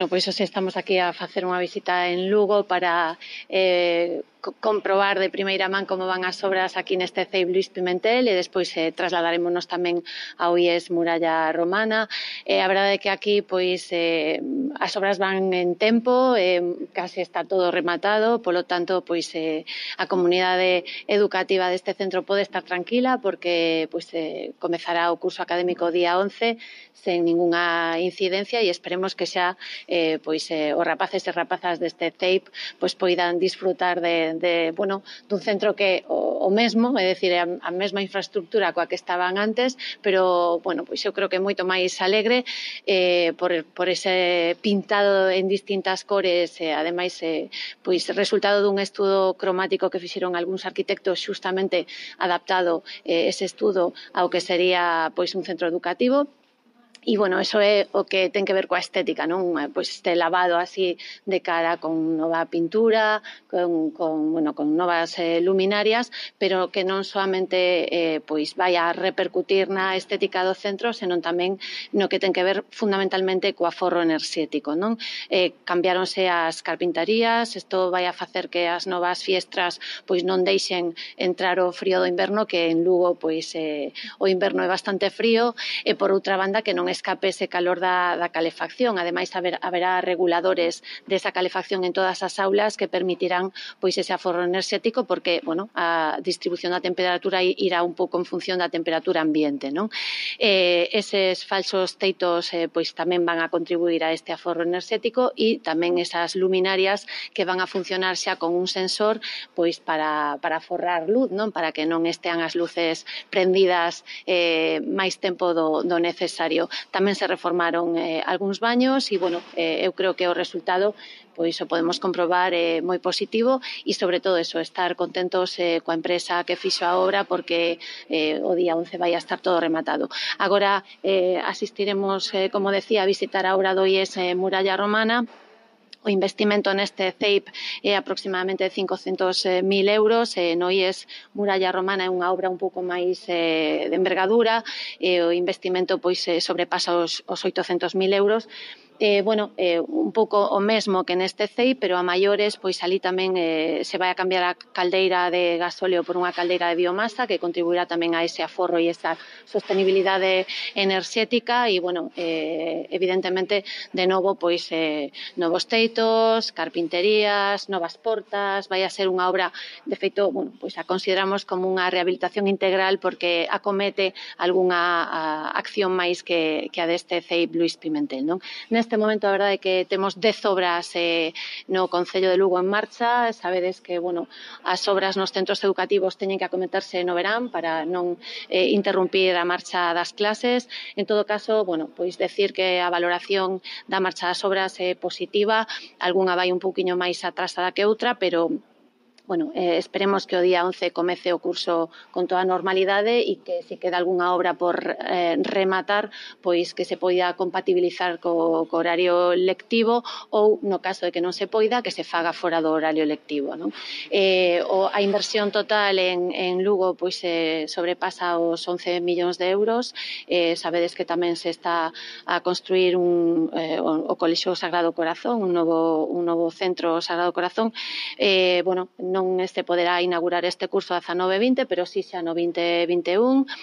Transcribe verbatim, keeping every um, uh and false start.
Bueno, pois hoxe estamos aquí a facer unha visita en Lugo para eh, co comprobar de primeira man como van as obras aquí neste C E I Luís Pimentel e despois eh, trasladarémonos tamén ao I E S Muralla Romana. Eh, a verdade é que aquí pois eh, as obras van en tempo, eh, case está todo rematado, polo tanto pois eh, a comunidade educativa deste centro pode estar tranquila porque pois eh, comezará o curso académico o día once sen ningunha incidencia e esperemos que xa eh, pois eh, os rapaces e rapazas deste C E I P pois poidan disfrutar de, de bueno, dun centro que o, o mesmo, é dicir, a, a mesma infraestructura coa que estaban antes, pero bueno, pois eu creo que moito máis alegre eh, por, por ese pintado en distintas cores e ademais eh, pois resultado dun estudo cromático que fixeron algúns arquitectos xustamente adaptado eh, ese estudo ao que sería pois un centro educativo. E, bueno, eso é o que ten que ver coa estética, non? Pois este lavado así de cara con nova pintura, con, con, bueno, con novas eh, luminarias, pero que non soamente eh, pois vai a repercutir na estética do centro, senón tamén no que ten que ver fundamentalmente co aforro enerxético, non? Eh, cambiáronse as carpintarías, isto vai a facer que as novas fiestras pois non deixen entrar o frío do inverno, que en Lugo pois eh, o inverno é bastante frío, e por outra banda que non escape ese calor da, da calefacción. Ademais, haber, haberá reguladores desa calefacción en todas as aulas que permitirán pois ese aforro enerxético porque, bueno, a distribución da temperatura irá un pouco en función da temperatura ambiente, non? Eh, eses falsos teitos eh, pois tamén van a contribuir a este aforro enerxético e tamén esas luminarias que van a funcionar xa con un sensor pois para, para aforrar luz, non? Para que non estean as luces prendidas eh, máis tempo do, do necesario. Tamén se reformaron eh, algúns baños e, bueno, eh, eu creo que o resultado pois o podemos comprobar é eh, moi positivo e, sobre todo, eso, estar contentos eh, coa empresa que fixo a obra porque eh, o día once vai a estar todo rematado. Agora eh, asistiremos, eh, como decía, a visitar a obra do I E S eh, Muralla Romana. O investimento neste C E I P é aproximadamente cincocentos mil euros, e no I E S Muralla Romana é unha obra un pouco máis eh, de envergadura, e o investimento pois eh, sobrepasa os, os oitocentos mil euros. Eh, bueno, eh, un pouco o mesmo que neste C E I, pero a maiores, pois ali tamén eh, se vai a cambiar a caldeira de gasóleo por unha caldeira de biomasa que contribuirá tamén a ese aforro e esa sostenibilidade enerxética e, bueno, eh, evidentemente, de novo, pois eh, novos teitos, carpinterías, novas portas, vai a ser unha obra, de feito, bueno, pois a consideramos como unha rehabilitación integral porque acomete algunha a, acción máis que, que a deste C E I Luís Pimentel, non? Neste momento, a verdade é que temos dez obras eh, no Concello de Lugo en marcha. Sabedes que, bueno, as obras nos centros educativos teñen que acometerse no verán para non eh, interrumpir a marcha das clases. En todo caso, bueno, pois decir que a valoración da marcha das obras é positiva, algunha vai un pouquiño máis atrasada que outra, pero bueno, eh, esperemos que o día once comece o curso con toda a normalidade e que se queda algunha obra por eh, rematar, pois que se poida compatibilizar co, co horario lectivo ou, no caso de que non se poida, que se faga fora do horario lectivo, non? Eh, o, a inversión total en, en Lugo pois eh, sobrepasa os once millóns de euros. Eh, sabedes que tamén se está a construir un, eh, o, o Colexio Sagrado Corazón, un novo, un novo centro Sagrado Corazón. Eh, bueno, non se poderá inaugurar este curso dezanove vinte, pero si xa no vinte vinte e un.